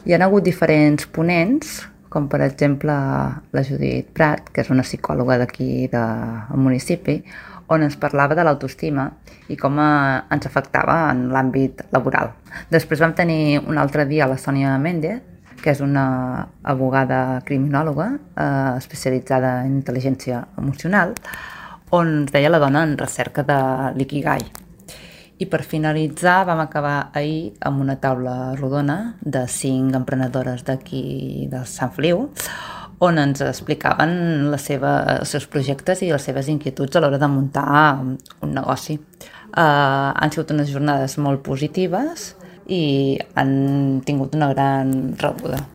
Hi ha hagut diferents ponents, com per exemple la Judit Prat, que és una psicòloga d'aquí del municipi, on ens parlava de l'autoestima i com ens afectava en l'àmbit laboral. Després vam tenir un altre dia la Sònia Méndez, que és una abogada criminòloga especialitzada en intel·ligència emocional, on ens deia la dona en recerca de l'ikigai. I per finalitzar vam acabar ahir amb una taula rodona de 5 emprenedores d'aquí de Sant Feliu, on ens explicaven els seus projectes i les seves inquietuds a l'hora de muntar un negoci. Han sigut unes jornades molt positives i han tingut una gran rebuda.